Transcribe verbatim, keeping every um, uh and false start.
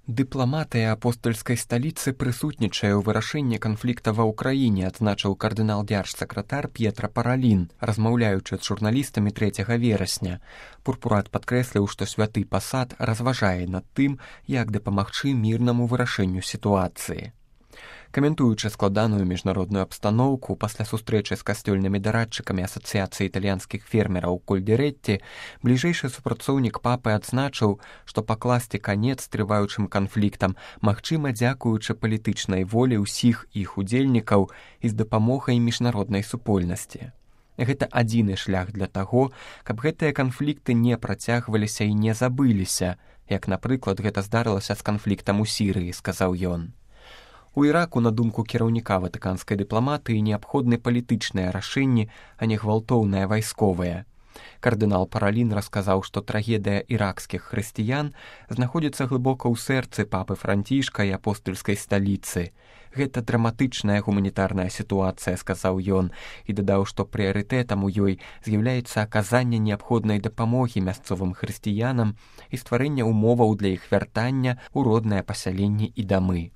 Дыпламатыя апостальскай сталіцы прысутнічае ў вырашэнні канфлікта ва ўкраіне, адзначыў кардынал дзяржсакратар П'етра Паралін, размаўляючы з журналістамі трэцяга верасня. Пурпурат падкрэсліў, што святы пасад разважае над тым, як дапамагчы мірнаму вырашэнню сітуацыі. Каментуючы складаную міжнародную абстаноўку пасля сустрэчы з касцёльнымі дарадчыкамі Асацыяцыі італьянскіх фермераў Кольдзеретці, бліжэйшы супрацоўнік папы адзначыў, што пакласці канец трываючым канфліктам магчыма дзякуючы палітычнай волі ўсіх іх удзельнікаў і з дапамогай міжнароднай супольнасці. Гэта адзіны шлях для таго, каб гэтыя канфлікты не працягваліся і не забыліся, як, напрыклад, гэта здарылася з канфліктам у Сірыі, сказаў ён. У Іраку, на думку кіраўніка ватыканскай дыпламатыі, неабходны палітычныя рашэнні, а не гвалтоўныя вайсковыя. Кардынал Паралін расказаў, што трагедыя іракскіх хрысціян знаходзіцца глыбока ў сэрцы папы Францішка і апостальскай сталіцы. Гэта драматычная гуманітарная сітуацыя, сказаў ён, і дадаў, што прыярытэтам у ёй з'яўляецца аказанне неабходнай дапамогі мясцовым хрысціянам і стварэнне ўмоваў для іх вяртання ў роднае пасяленне і дамы.